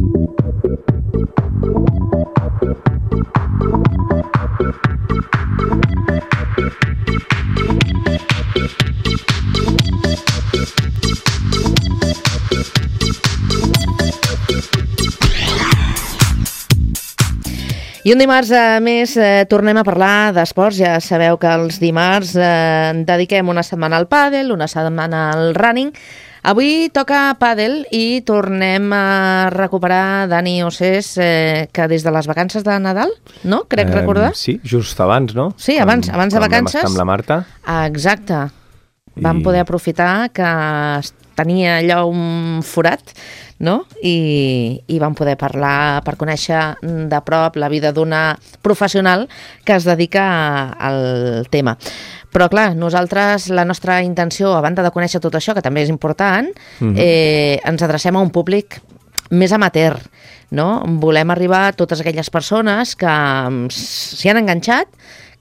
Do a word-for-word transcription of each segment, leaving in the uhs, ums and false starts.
I un dimarts a més eh, tornem a parlar d'esports. Ja sabeu que els dimarts eh, dediquem una setmana al pàdel, una setmana al running. Avui toca pàdel i tornem a recuperar Dani Ossés, eh, que des de les vacances de Nadal, no? Crec eh, recordar. Sí, just abans, no? Sí, abans, quan, abans de vacances. Vam estar amb la Marta. Exacte. I... Vam poder aprofitar que tenia allò un forat, no? I, i vam poder parlar per conèixer de prop la vida d'una professional que es dedica al tema. Però clar, nosaltres, la nostra intenció, a banda de conèixer tot això, que també és important, mm-hmm. eh, ens adrecem a un públic més amateur, no? Volem arribar a totes aquelles persones que s'hi han enganxat,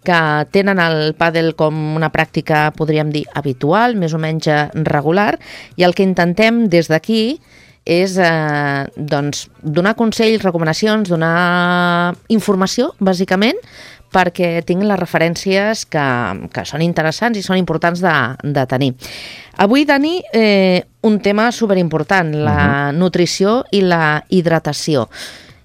que tenen el pàdel com una pràctica, podríem dir, habitual, més o menys regular, i el que intentem des d'aquí és eh, doncs, donar consells, recomanacions, donar informació, bàsicament, perquè tinguin les referències que, que són interessants i són importants de, de tenir. Avui, Dani, eh, un tema superimportant, la uh-huh. nutrició i la hidratació.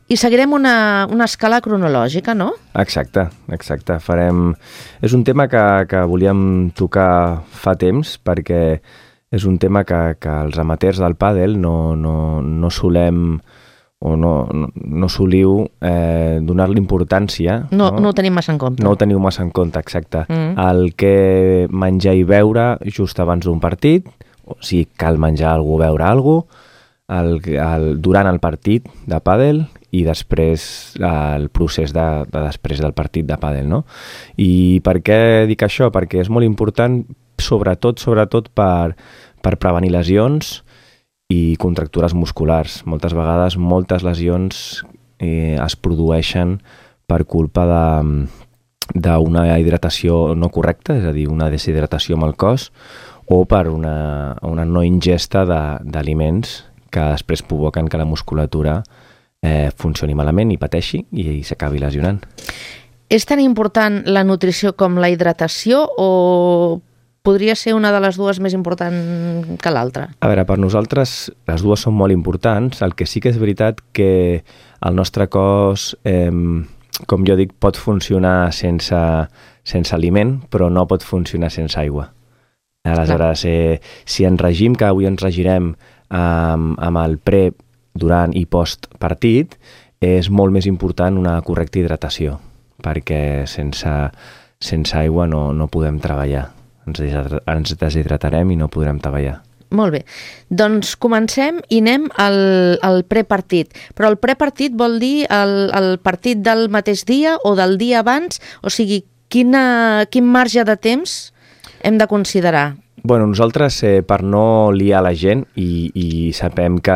I seguirem una, una escala cronològica, no? Exacte, exacte. Farem... És un tema que, que volíem tocar fa temps, perquè és un tema que, que els amateurs del pàdel no, no, no solem o no, no, no soliu eh, donar-li importància. No, no, no ho tenim massa en compte. No ho teniu massa en compte, exacte. Mm. El que menjar i beure just abans d'un partit, o sigui, cal menjar alguna cosa, beure alguna cosa, el, el, durant el partit de pàdel i després el procés de, de després del partit de pàdel, no? I per què dic això? Perquè és molt important, sobretot, sobretot per, per prevenir lesions i contractures musculars. Moltes vegades, moltes lesions eh, es produeixen per culpa de, d'una hidratació no correcta, és a dir, una deshidratació amb el cos, o per una, una no ingesta de, d'aliments que després provoquen que la musculatura eh, funcioni malament i pateixi i, i s'acabi lesionant. És tan important la nutrició com la hidratació o podria ser una de les dues més important que l'altra? A veure, per nosaltres les dues són molt importants. El que sí que és veritat que el nostre cos, eh, com jo dic, pot funcionar sense, sense aliment, però no pot funcionar sense aigua. Aleshores, eh, si en regim, que avui ens regirem amb, amb el pre, durant i post partit, és molt més important una correcta hidratació, perquè sense, sense aigua no, no podem treballar. Ens, ens deshidratarem i no podrem treballar. Molt bé. Doncs comencem i anem al, al prepartit. Però el prepartit vol dir el, el partit del mateix dia o del dia abans? O sigui, quina, quin marge de temps hem de considerar? Bueno, nosaltres, eh, per no liar la gent i, i sapem que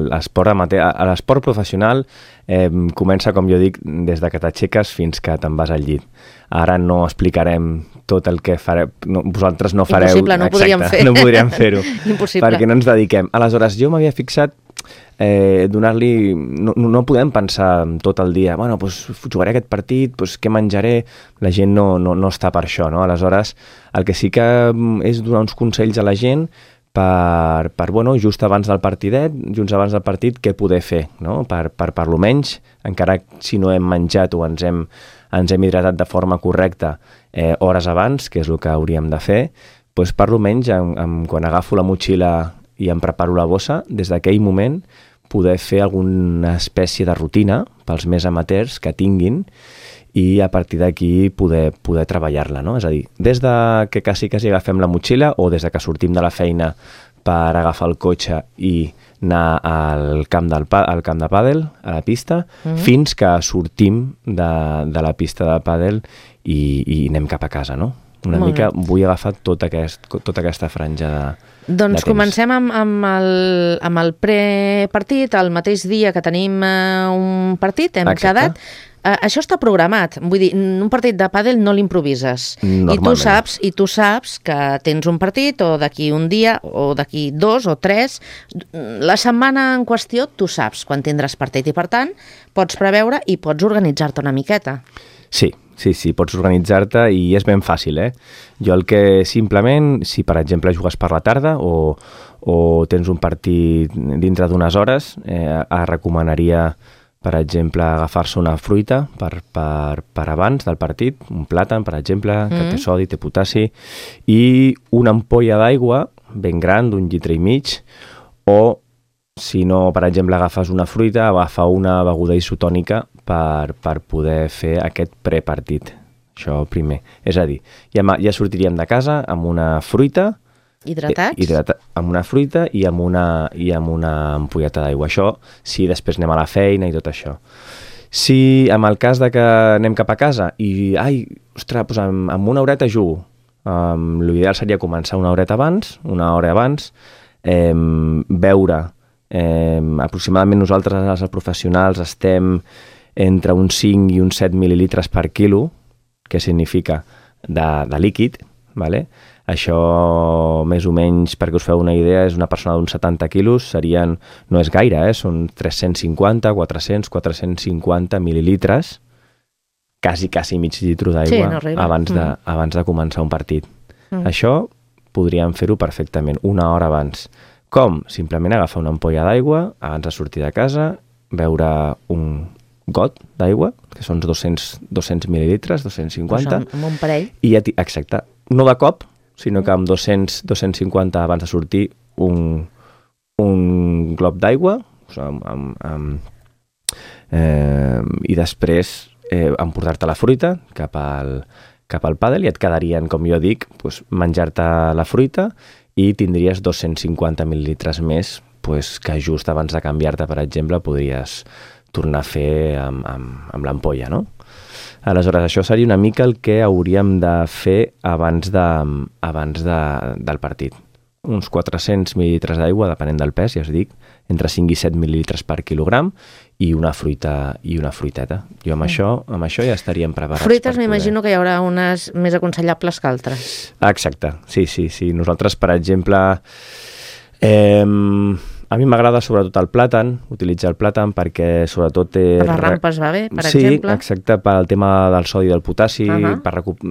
l'esport amateur, l'esport professional eh, comença, com jo dic, des de que t'aixeques fins que te'n vas al llit. Ara no explicarem tot el que fareu, no, vosaltres no fareu... Impossible, no ho podríem fer. No podríem fer-ho. Impossible. Perquè no ens dediquem. Aleshores, jo m'havia fixat eh, donar-li... No, no podem pensar tot el dia, bueno, pues, jugaré aquest partit, pues, què menjaré? La gent no, no, no està per això, no? Aleshores, el que sí que és donar uns consells a la gent per, per bueno, just abans del partidet, just abans del partit, què poder fer, no? Per, per, per lo menys, encara si no hem menjat o ens hem, ens hem hidratat de forma correcta eh, hores abans, que és el que hauríem de fer, doncs per lo menys, en, en, quan agafo la motxilla i em preparo la bossa, des d'aquell moment poder fer alguna espècie de rutina pels més amateurs que tinguin i a partir d'aquí poder, poder treballar-la, no? És a dir, des de que quasi quasi agafem la motxilla o des de que sortim de la feina per agafar el cotxe i anar al camp, del, al camp de pàdel, a la pista, mm-hmm. fins que sortim de, de la pista de pàdel i, i anem cap a casa, no? Una Molt mica bé. Vull agafar tot aquest, tota aquesta franja de, doncs de temps. Comencem amb, amb, el, amb el prepartit, el mateix dia que tenim uh, un partit, hem Exacte. quedat. Uh, això està programat. Vull dir, un partit de pàdel no l'improvises. I tu saps, i tu saps que tens un partit o d'aquí un dia o d'aquí dos o tres. La setmana en qüestió tu saps quan tindràs partit i, per tant, pots preveure i pots organitzar-te una miqueta. Sí, sí, sí, pots organitzar-te i és ben fàcil, eh? Jo el que simplement, si per exemple jugues per la tarda o, o tens un partit dintre d'unes hores, eh, recomanaria, per exemple, agafar-se una fruita per, per, per abans del partit, un plàtan, per exemple, mm. que té sodi, té potassi, i una ampolla d'aigua ben gran, d'un litre i mig, o si no, per exemple, agafes una fruita, agafa una beguda isotònica per, per poder fer aquest prepartit. Això primer. És a dir, ja, ja sortiríem de casa amb una fruita, hidratats? Hidrata, amb una fruita i amb una, i amb una ampolleta d'aigua. Això, si després anem a la feina i tot això. Si en el cas de que anem cap a casa i, ai, ostres, doncs amb, amb una horeta jugo, um, l'ideal seria començar una horeta abans, una hora abans, eh, beure, eh, aproximadament nosaltres, els professionals, estem entre uns cinc i uns set mil·lilitres per quilo, que significa de, de líquid, vale? Això, més o menys, perquè us feu una idea, és una persona d'uns setanta quilos, serien, no és gaire, eh? Són tres-cents cinquanta, quatre-cents, quatre-cents cinquanta mil·lilitres, quasi, quasi mig litre d'aigua, sí, no abans, de, mm. abans de començar un partit. Mm. Això podríem fer-ho perfectament, una hora abans. Com? Simplement agafar una ampolla d'aigua, abans de sortir de casa, beure un got d'aigua, que són dos-cents, dos-cents mil·lilitres, dos-cents cinquanta. Pues amb un parell. I ja exacte, no de cop, sinó que amb dos-cents, dos-cents cinquanta abans de sortir un, un glob d'aigua, o sigui, amb, amb, amb, eh, i després eh, emportar-te la fruita cap al, cap al pàdel i et quedarien, com jo dic, pues, menjar-te la fruita i tindries dos-cents cinquanta mil·lilitres més pues, que just abans de canviar-te, per exemple, podries tornar a fer amb, amb, amb l'ampolla, no? Aleshores, això seria una mica el que hauríem de fer abans, de, abans de, del partit. Uns quatre-cents mil·lilitres d'aigua, depenent del pes, ja us dic, entre cinc i set mil·lilitres per quilogram i una fruita i una fruiteta. Jo amb, mm. això, amb això ja estaríem preparats. Fruites m'imagino poder... que hi haurà unes més aconsellables que altres. Exacte, sí, sí, sí. Nosaltres, per exemple, eh, a mi m'agrada sobretot el plàtan, utilitzar el plàtan perquè sobretot té... Per les rampes va bé, per sí, exemple? Sí, exacte, per al tema del sodi i del potassi, uh -huh. per recup...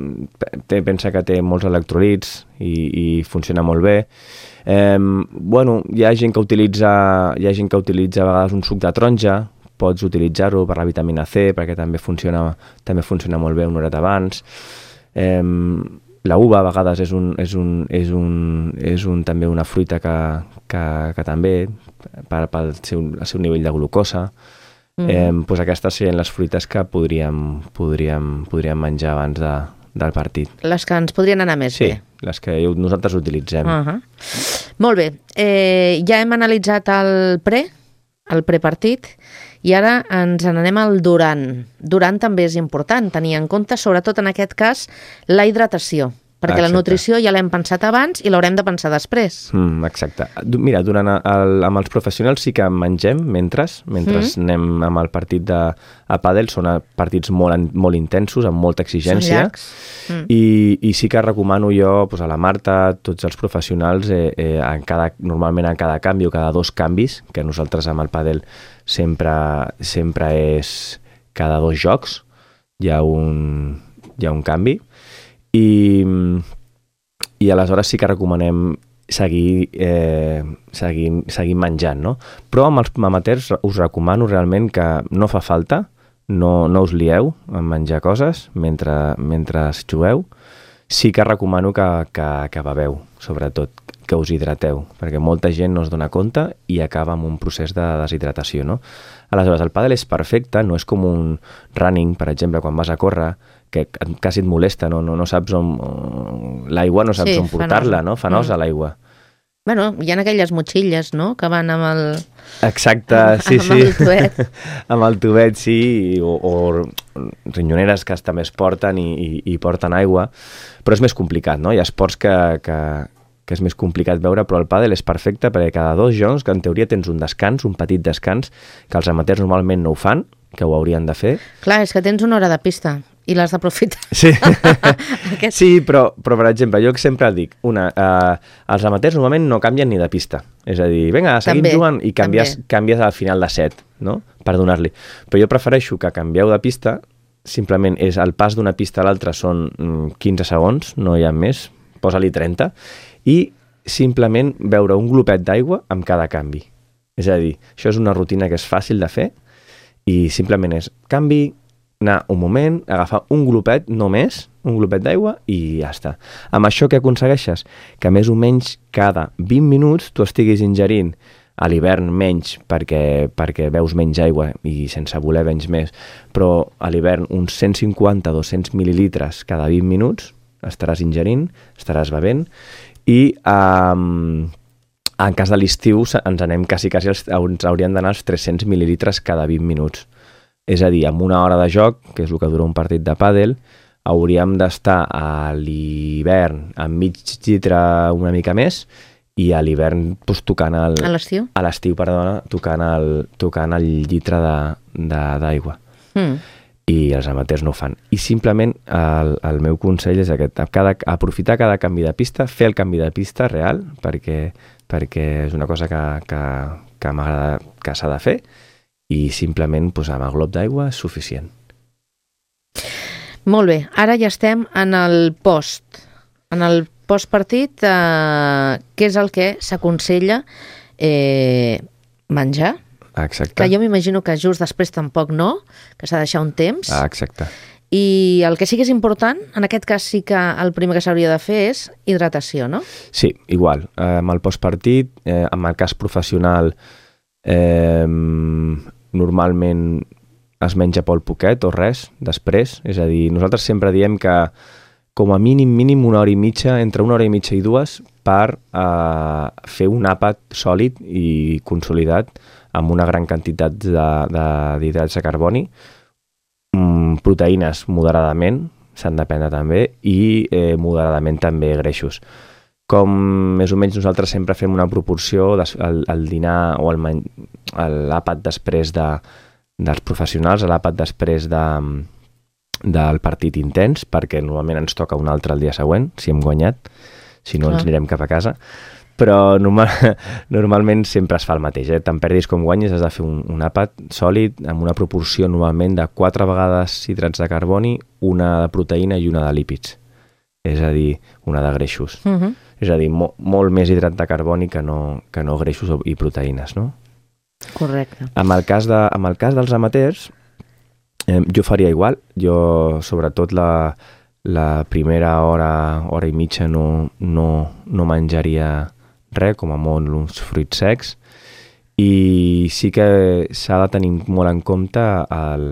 té, pensa que té molts electrolits i, i funciona molt bé. Eh, bueno, hi ha gent que utilitza, hi ha gent que utilitza a vegades un suc de taronja, pots utilitzar-ho per la vitamina C, perquè també funciona, també funciona molt bé una horeta abans. Eh, la uva a vegades és, un, és, un, és, un, és un, també una fruita que, que, que també, per, pel seu, el seu nivell de glucosa, mm. eh, doncs aquestes serien les fruites que podríem, podríem, podríem menjar abans de, del partit. Les que ens podrien anar més sí, bé. Sí, les que nosaltres utilitzem. Uh -huh. Molt bé, eh, ja hem analitzat el pre, el prepartit, i ara ens n'anem al durant. Durant també és important tenir en compte, sobretot en aquest cas, la hidratació, perquè exacte. La nutrició ja l'hem pensat abans i l'haurem de pensar després. Mm, exacte. Mira, durant el, amb els professionals sí que mengem mentre, mentre mm. anem amb el partit de a pàdel, són partits molt, molt intensos, amb molta exigència, mm. i, i sí que recomano jo pues, a la Marta, a tots els professionals, eh, eh, en cada, normalment en cada canvi o cada dos canvis, que nosaltres amb el pàdel sempre, sempre és cada dos jocs, hi ha un, hi ha un canvi, i, i aleshores sí que recomanem seguir, eh, seguir, seguir menjant, no? Però amb els amateurs us recomano realment que no fa falta, no, no us lieu en menjar coses mentre, mentre jugueu. Sí que recomano que, que, que beveu, sobretot, que us hidrateu, perquè molta gent no es dona compte i acaba amb un procés de deshidratació, no? Aleshores, el pàdel és perfecte, no és com un running, per exemple, quan vas a córrer, que quasi et molesta, no, no, no saps on... L'aigua no saps sí, on portar-la, no? Fa nosa mm. l'aigua. Bueno, hi ha aquelles motxilles, no?, que van amb el... Exacte, amb, sí, amb sí. Amb el tubet. Amb el tubet, sí, o, o rinyoneres que també es porten i, i, i porten aigua, però és més complicat, no? Hi ha esports que, que, que és més complicat veure, però el pàdel és perfecte perquè cada dos jocs, que en teoria tens un descans, un petit descans, que els amateurs normalment no ho fan, que ho haurien de fer. Clar, és que tens una hora de pista i l'has d'aprofitar. Sí, Aquest... sí però, però, per exemple, jo sempre dic, una, eh, els amateurs normalment no canvien ni de pista. És a dir, vinga, seguim també, jugant i canvies, canvies al final de set, no?, per donar-li. Però jo prefereixo que canvieu de pista, simplement és el pas d'una pista a l'altra són quinze segons, no hi ha més, posa-li trenta, i simplement beure un glopet d'aigua amb cada canvi. És a dir, això és una rutina que és fàcil de fer i simplement és canvi, anar un moment, agafar un glopet, no més, un glopet d'aigua i ja està. Amb això què aconsegueixes? Que més o menys cada vint minuts tu estiguis ingerint, a l'hivern menys perquè, perquè veus menys aigua i sense voler venys més, però a l'hivern uns cent cinquanta a dos-cents mil·lilitres cada vint minuts estaràs ingerint, estaràs bevent i um, en cas de l'estiu ens anem quasi, quasi als, ens haurien d'anar als tres-cents mil·lilitres cada vint minuts. És a dir, amb una hora de joc, que és el que dura un partit de pàdel, hauríem d'estar a l'hivern amb mig litre una mica més i a l'hivern doncs, tocant el... A l'estiu? A l'estiu, perdona, tocant el, tocant el litre d'aigua. Mm. I els amateurs no ho fan. I simplement el, el meu consell és aquest, cada, aprofitar cada canvi de pista, fer el canvi de pista real, perquè, perquè és una cosa que, que, que m'agrada, que s'ha de fer, i simplement pues, amb el glob d'aigua és suficient. Molt bé, ara ja estem en el post. En el postpartit, eh, què és el que s'aconsella eh, menjar? Exacte. Que jo m'imagino que just després tampoc no, que s'ha de deixar un temps. Ah, exacte. I el que sí que és important, en aquest cas sí que el primer que s'hauria de fer és hidratació, no? Sí, igual. Eh, amb el postpartit, eh, amb el cas professional, eh, normalment es menja molt poquet o res després, és a dir, nosaltres sempre diem que com a mínim, mínim una hora i mitja, entre una hora i mitja i dues, per eh, fer un àpat sòlid i consolidat amb una gran quantitat d'hidrats de, de, de carboni, mm, proteïnes moderadament, s'han de prendre també, i eh, moderadament també greixos. Com més o menys nosaltres sempre fem una proporció des, el, el dinar o l'àpat després de, dels professionals, l'àpat després de, del partit intens, perquè normalment ens toca un altre el dia següent, si hem guanyat, si no ens anirem cap a casa, però normal, normalment sempre es fa el mateix, eh? Tant perdis com guanyis has de fer un, un àpat sòlid amb una proporció normalment de quatre vegades hidrats de carboni, una de proteïna i una de lípids, és a dir, una de greixos. Uh-huh. És a dir, mo molt més hidrat de carboni que no, que no greixos i proteïnes, no? Correcte. Amb el cas, de, amb el cas dels amateurs, eh, jo faria igual. Jo, sobretot, la, la primera hora, hora i mitja no, no, no menjaria res, com a molt uns fruits secs, i sí que s'ha de tenir molt en compte el,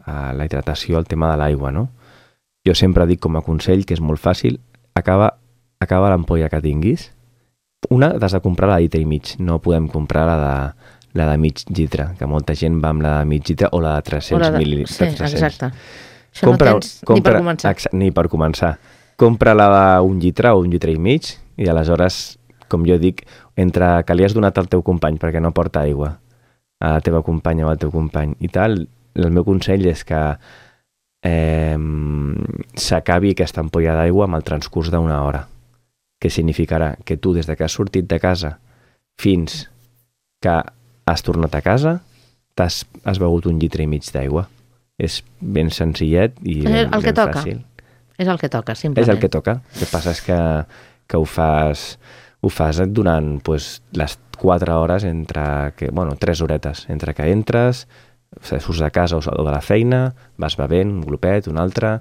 la hidratació, el tema de l'aigua, no? Jo sempre dic com a consell, que és molt fàcil, acaba acaba l'ampolla que tinguis, una t'has de comprar la de litre i mig, no podem comprar la de, la de mig litre, que molta gent va amb la de mig litre o la de tres-cents mil·lilitres. Sí, exacte. Això compra, no tens compra, ni per començar. Ni per començar. Compra la d'un litre o un litre i mig i aleshores, com jo dic, entre que li has donat al teu company perquè no porta aigua, a la teva companya o al teu company i tal, el meu consell és que eh, s'acabi aquesta ampolla d'aigua amb el transcurs d'una hora, que significarà que tu, des de que has sortit de casa fins que has tornat a casa, has, has begut un litre i mig d'aigua. És ben senzillet i ben, el que ben toca. fàcil. És el que toca, simplement. És el que toca. El que passa és que, que ho fas, ho fas durant pues, les quatre hores, entre que, bueno, tres horetes, entre que entres, surts de casa o de la feina, vas bevent un glopet, un altre,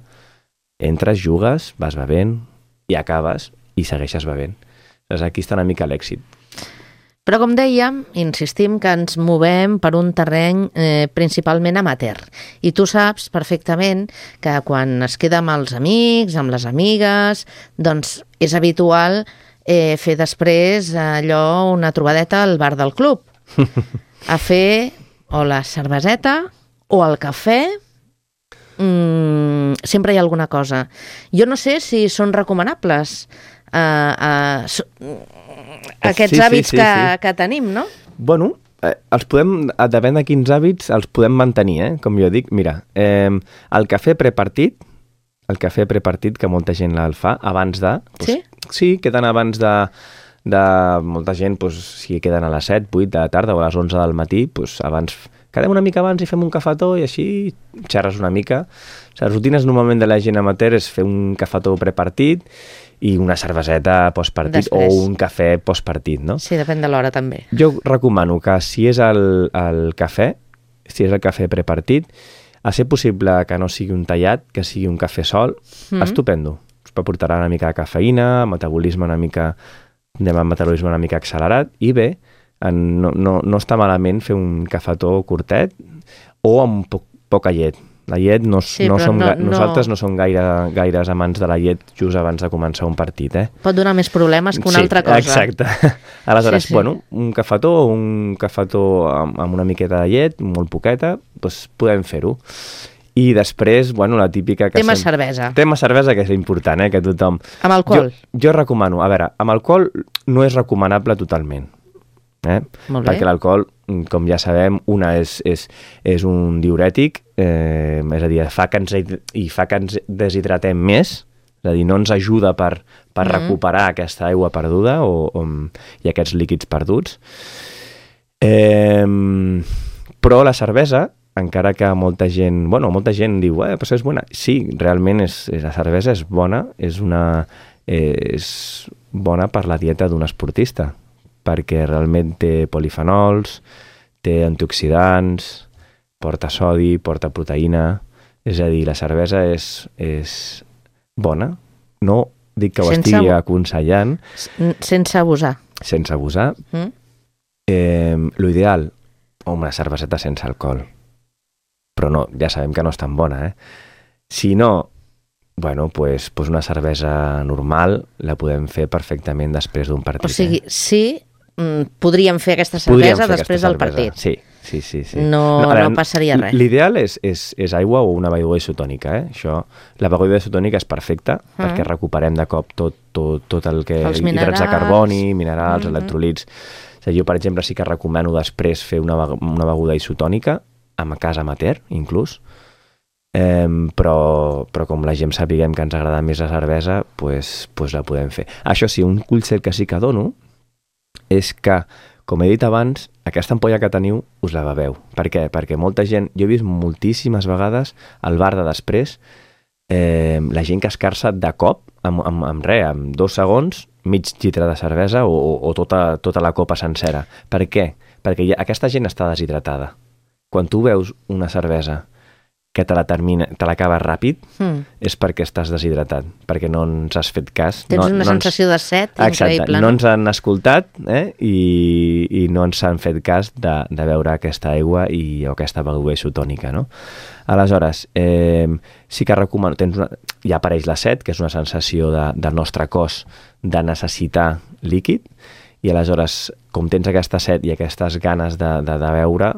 entres, jugues, vas bevent i acabes i segueixes bevent. Doncs aquí està una mica l'èxit. Però com dèiem, insistim que ens movem per un terreny eh, principalment amateur. I tu saps perfectament que quan es queda amb els amics, amb les amigues, doncs és habitual eh, fer després allò una trobadeta al bar del club. A fer o la cerveseta o el cafè. Mm, sempre hi ha alguna cosa. Jo no sé si són recomanables uh, uh, aquests sí, hàbits sí, sí, que, sí. que tenim, no? Bueno, eh, els podem, depèn de quins hàbits, els podem mantenir, eh? Com jo dic. Mira, eh, el cafè prepartit, el cafè prepartit, que molta gent el fa, abans de... Doncs, sí? Sí, queden abans de... de molta gent, doncs, si queden a les set, vuit de la tarda o a les onze del matí, doncs, abans... Quedem una mica abans i fem un cafetó i així xerres una mica. Les rutines normalment de la gent amateur és fer un cafetó prepartit i una cerveseta postpartit o un cafè postpartit, no? Sí, depèn de l'hora també. Jo recomano que si és el, el cafè, si és el cafè prepartit, a ser possible que no sigui un tallat, que sigui un cafè sol, mm. estupendo. Us aportarà una mica de cafeïna, metabolisme una mica, anem a metabolisme una mica accelerat i bé, no, no, no està malament fer un cafetó curtet o amb poc, poca llet. La llet, no, sí, no som, no, nosaltres no, no som gaire, gaires amants de la llet just abans de començar un partit. Eh? Pot donar més problemes que una sí, altra cosa. Exacte. Aleshores, sí, sí. bueno, un cafetó o un cafetó amb, amb una miqueta de llet, molt poqueta, doncs podem fer-ho. I després, bueno, la típica... que Tema sem... cervesa. Tema cervesa, que és important, eh, que tothom... Amb alcohol? Jo, jo recomano, a veure, amb alcohol no és recomanable totalment. Eh? Perquè l'alcohol, com ja sabem, una és, és, és un diurètic, eh, és a dir, fa que ens, i fa que ens deshidratem més, és a dir, no ens ajuda per, per mm. recuperar aquesta aigua perduda o, o, i aquests líquids perduts. Eh, però la cervesa, encara que molta gent, bueno, molta gent diu, eh, però és bona. Sí, realment és, és, la cervesa és bona, és, una, eh, és bona per la dieta d'un esportista, perquè realment té polifenols, té antioxidants, porta sodi, porta proteïna, és a dir, la cervesa és, és bona. No dic que ho sense estigui aconsellant. Sense abusar. Sense abusar. Mm. Eh, L'ideal, una cerveseta sense alcohol. Però no, ja sabem que no és tan bona, eh? Si no, bueno, pues, pues una cervesa normal la podem fer perfectament després d'un partit. O sigui, eh? sí, mm, podríem fer aquesta cervesa fer després del partit. Sí, sí, sí. sí. No, no, veure, no passaria res. L'ideal és, és, és aigua o una beguda isotònica, eh? Això, la beguda isotònica és perfecta mm. perquè recuperem de cop tot, tot, tot el que... Els hidrats de carboni, minerals, mm-hmm. electrolits... O sigui, jo, per exemple, sí que recomano després fer una, una beguda isotònica, a casa amateur, inclús, eh, però, però com la gent sapiguem que ens agrada més la cervesa, pues, pues la podem fer. Això sí, un consell que sí que dono és que, com he dit abans, aquesta ampolla que teniu us la beveu. Per què? Perquè molta gent, jo he vist moltíssimes vegades al bar de després, eh, la gent que es carça de cop, amb, amb, amb res, amb dos segons, mig litre de cervesa o, o, o tota, tota la copa sencera. Per què? Perquè ja, aquesta gent està deshidratada. Quan tu veus una cervesa que te la termina, te l'acabes ràpid, mm. és perquè estàs deshidratat, perquè no ens has fet cas. Tens no, una no sensació ens... de set Exacte, increïble. No ens han escoltat eh? I, i no ens han fet cas de, de veure aquesta aigua i, o aquesta beguda isotònica, no? Aleshores, eh, sí que recomano... Tens una, ja apareix la set, que és una sensació de, del nostre cos de necessitar líquid, i aleshores, com tens aquesta set i aquestes ganes de, de, de beure,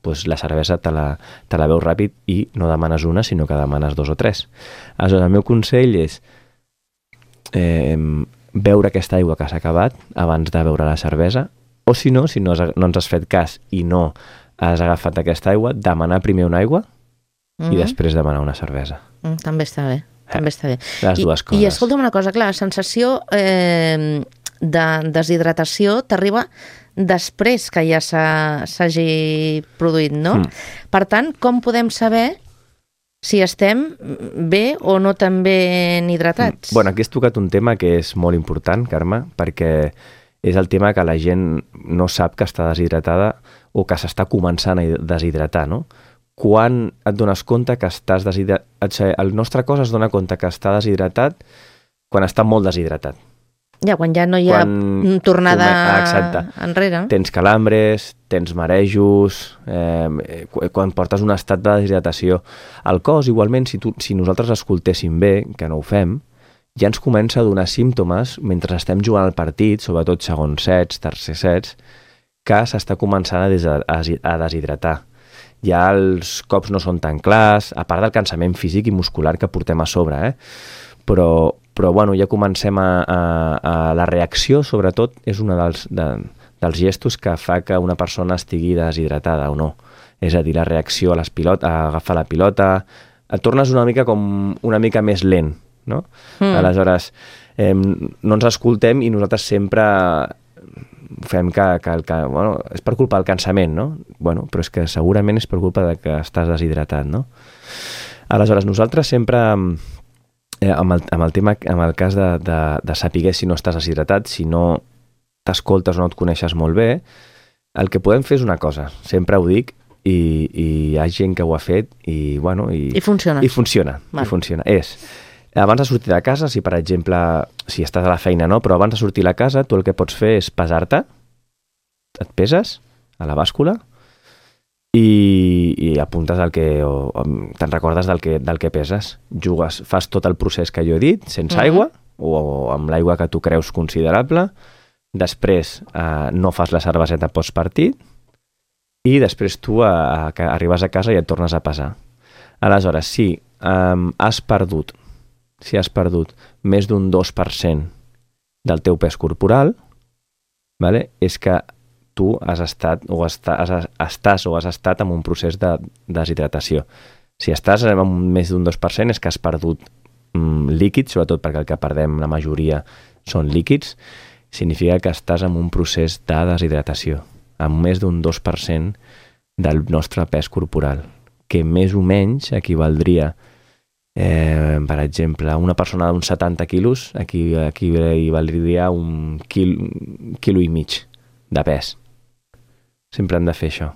doncs la cervesa te la, te la veus ràpid i no demanes una, sinó que demanes dos o tres. Aleshores, el meu consell és eh, beure aquesta aigua que s'ha acabat abans de beure la cervesa, o si no, si no, has, no ens has fet cas i no has agafat aquesta aigua, demanar primer una aigua mm-hmm. i després demanar una cervesa. Mm, també està bé. Eh, també està bé. Les dues I, coses. I escolta'm una cosa, clar, la sensació eh, de deshidratació t'arriba després que ja s'hagi produït, no? Mm. Per tant, com podem saber si estem bé o no tan ben hidratats? Bueno, aquí has tocat un tema que és molt important, Carme, perquè és el tema que la gent no sap que està deshidratada o que s'està començant a deshidratar, no? Quan et dones compte que estàs deshidratat... El nostre cos es dona compte que està deshidratat quan està molt deshidratat. Ja, quan ja no hi ha quan tornada Exacte. enrere. Tens calambres, tens marejos, eh, quan portes un estat de deshidratació. El cos, igualment, si, tu, si nosaltres escoltéssim bé, que no ho fem, ja ens comença a donar símptomes mentre estem jugant al partit, sobretot segons sets, tercer sets, que s'està començant a, des, a, a deshidratar. Ja els cops no són tan clars, a part del cansament físic i muscular que portem a sobre, eh? Però, però bueno, ja comencem a, a, a... La reacció, sobretot, és una dels, de, dels gestos que fa que una persona estigui deshidratada o no. És a dir, la reacció a les pilotes, a agafar la pilota, et tornes una mica com una mica més lent, no? Mm. Aleshores, eh, no ens escoltem i nosaltres sempre fem que, que, que bueno, és per culpa del cansament, no? Bueno, però és que segurament és per culpa de que estàs deshidratat, no? Aleshores, nosaltres sempre, eh, amb, el, amb el tema, amb el cas de, de, de saber si no estàs deshidratat, si no t'escoltes o no et coneixes molt bé, el que podem fer és una cosa, sempre ho dic, i, i hi ha gent que ho ha fet i, bueno, i, I funciona. I funciona, i funciona. És, abans de sortir de casa, si per exemple, si estàs a la feina, no, però abans de sortir a la casa, tu el que pots fer és pesar-te, et peses a la bàscula i, i apuntes el que, o, o te'n recordes del que, del que peses. Jugues, fas tot el procés que jo he dit, sense uh-huh. aigua, o, o amb l'aigua que tu creus considerable, després eh, no fas la cerveseta postpartit, i després tu a, a, a, arribes a casa i et tornes a pesar. Aleshores, si um, has perdut, si has perdut més d'un dos per cent del teu pes corporal, vale, és que tu has estat o està, has, estàs o has estat en un procés de deshidratació. Si estàs en més d'un dos per cent és que has perdut um, líquids, sobretot perquè el que perdem la majoria són líquids, significa que estàs en un procés de deshidratació, amb més d'un dos per cent del nostre pes corporal, que més o menys equivaldria, eh, per exemple, una persona d'uns setanta quilos, aquí, aquí equivaldria un quil, quilo i mig de pes. Sempre hem de fer això.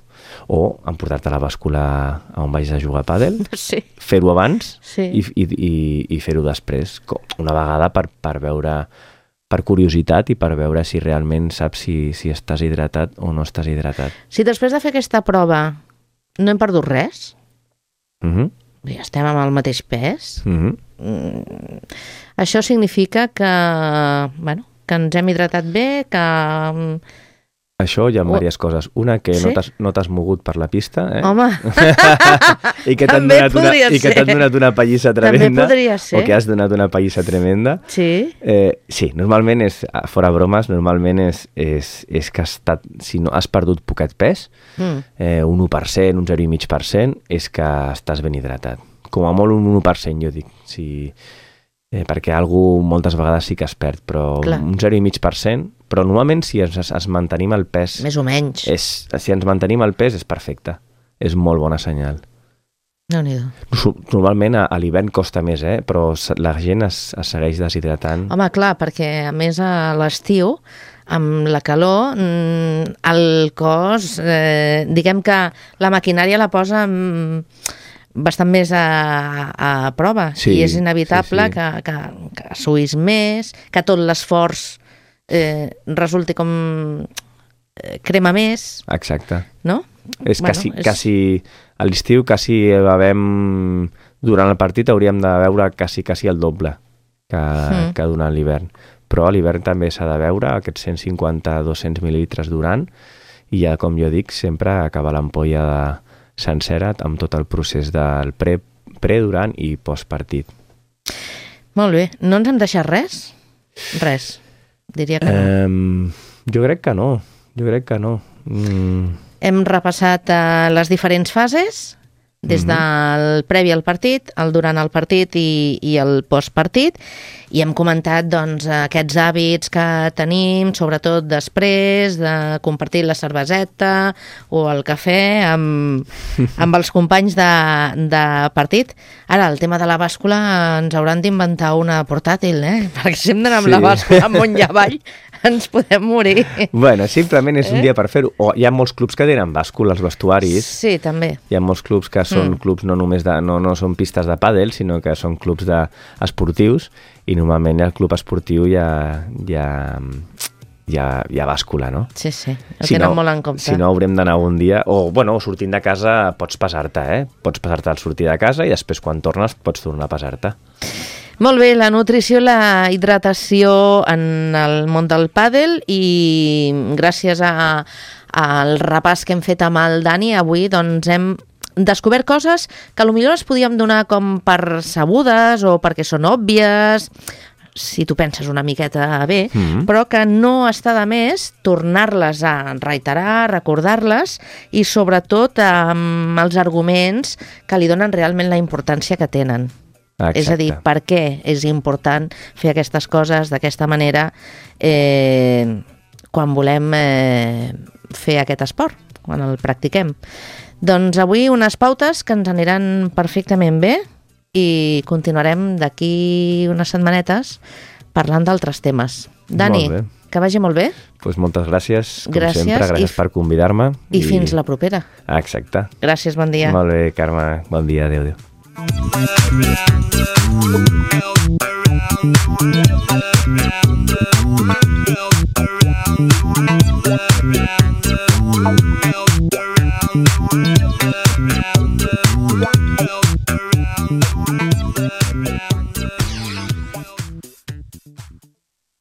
O emportar-te a la bàscula on vaig a jugar a pàdel, sí. fer-ho abans sí. i, i, i, i fer-ho després, una vegada per, per veure... per curiositat i per veure si realment saps si, si estàs hidratat o no estàs hidratat. Si després de fer aquesta prova no hem perdut res, uh-huh. ja estem amb el mateix pes, uh-huh. mm, això significa que, bueno, que ens hem hidratat bé, que... Això hi ha diverses oh. coses. Una, que sí? no t'has mogut per la pista. Eh? Home! I que t'han donat, una, i que t'han donat una pallissa tremenda. També podria ser. O que has donat una pallissa tremenda. Sí? Eh, sí, normalment és, fora bromes, normalment és, és, és que has estat, si no has perdut poquet pes, mm. eh, un u per cent, un zero coma cinc per cent, és que estàs ben hidratat. Com a molt un u per cent, jo dic. Si, eh, perquè algú moltes vegades sí que es perd, però Clar. un zero coma cinc per cent. Però normalment si ens, ens mantenim el pes... Més o menys. És, si ens mantenim el pes és perfecte. És molt bona senyal. Déu-n'hi-do. Normalment a, a l'hivern costa més, eh? Però la gent es, es segueix deshidratant. Home, clar, perquè a més a l'estiu, amb la calor, el cos, eh, diguem que la maquinària la posa bastant més a, a prova. Sí, I és inevitable sí, sí. que, que, que suïs més, que tot l'esforç Eh, resulti com eh, crema més. Exacte. No? És bueno, quasi, és... quasi a l'estiu quasi bevem, durant el partit hauríem de beure quasi, quasi el doble que, mm. que durant l'hivern. Però a l'hivern també s'ha de beure aquests cent cinquanta a dos-cents mil·lilitres durant i ja, com jo dic, sempre acabar l'ampolla de sencera amb tot el procés del pre, pre durant i postpartit. Molt bé. No ens hem deixat res? Res. Diria que no. Um, jo crec que no. Jo crec que no. Mm. Hem repassat uh, les diferents fases, des mm-hmm. del previ al partit, el durant el partit i, i el postpartit, i hem comentat doncs, aquests hàbits que tenim, sobretot després de compartir la cerveseta o el cafè amb, amb els companys de, de partit. Ara, el tema de la bàscula ens hauran d'inventar una portàtil, eh? Perquè si hem d'anar amb sí. la bàscula amunt i avall, ens podem morir. Bueno, simplement és un eh? dia per fer-ho. O hi ha molts clubs que tenen bàscula als vestuaris. Sí, també. Hi ha molts clubs que són mm. clubs no només de, no, no són pistes de pàdel, sinó que són clubs de, esportius, i normalment al club esportiu hi ha, hi ha, hi ha, hi ha bàscula, no? Sí, sí, ho si tenen no, molt en compte. Si no, haurem d'anar un dia, o bueno, sortint de casa pots pesar-te, eh? Pots pesar-te al sortir de casa i després quan tornes pots tornar a pesar-te. Molt bé, la nutrició, la hidratació en el món del pàdel, i gràcies a, al repàs que hem fet amb el Dani avui, doncs hem descobert coses que potser les podíem donar com per sabudes o perquè són òbvies. si tu penses una miqueta bé, Mm. però que no està de més tornar-les a reiterar, recordar-les i sobretot amb els arguments que li donen realment la importància que tenen. Exacte. És a dir, per què és important fer aquestes coses d'aquesta manera eh, quan volem eh, fer aquest esport, quan el practiquem. Doncs avui unes pautes que ens aniran perfectament bé i continuarem d'aquí unes setmanetes parlant d'altres temes. Dani, Molt bé. que vagi molt bé. Pues moltes gràcies, com Gràcies sempre, gràcies i- per convidar-me. I fins la propera. Exacte. Gràcies, bon dia. Molt bé, Carme. Bon dia, adéu, adéu. Around, around, around.